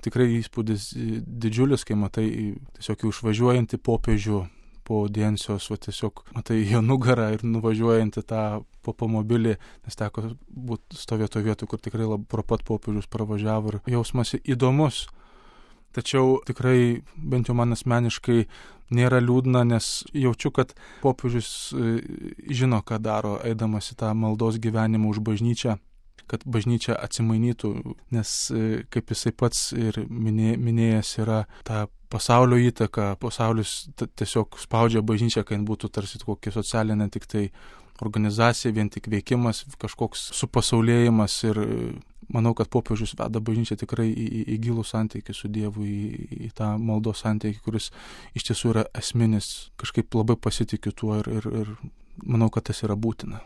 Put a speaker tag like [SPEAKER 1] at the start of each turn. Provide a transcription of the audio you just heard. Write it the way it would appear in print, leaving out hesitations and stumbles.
[SPEAKER 1] tikrai įspūdis didžiulis, kai matai tiesiog išvažiuojantį popiežių po audiencijos, va tiesiog matai jo nugarą ir nuvažiuojantį tą popomobilį, nes teko stovėti vietoj, kur tikrai pro pat popiežius pravažiavo ir jausmas įdomus. Tačiau tikrai, bent jau man asmeniškai, nėra liūdna, nes jaučiu, kad popiežius žino, ką daro, eidamas į tą maldos gyvenimą už bažnyčią, kad bažnyčia atsimainytų, nes kaip jisai pats ir minėjęs yra ta pasaulio įtaka, pasaulis tiesiog spaudžia bažnyčią, kad būtų tarsi kokia socialinė tik tai organizacija, vien tik veikimas, kažkoks supasaulėjimas ir manau, kad popiežius veda bažnyčią tikrai į gilų santykį su Dievu, į tą maldos santykį, kuris iš tiesų yra esminis. Kažkaip labai pasitikiu tuo ir manau, kad tas yra būtina.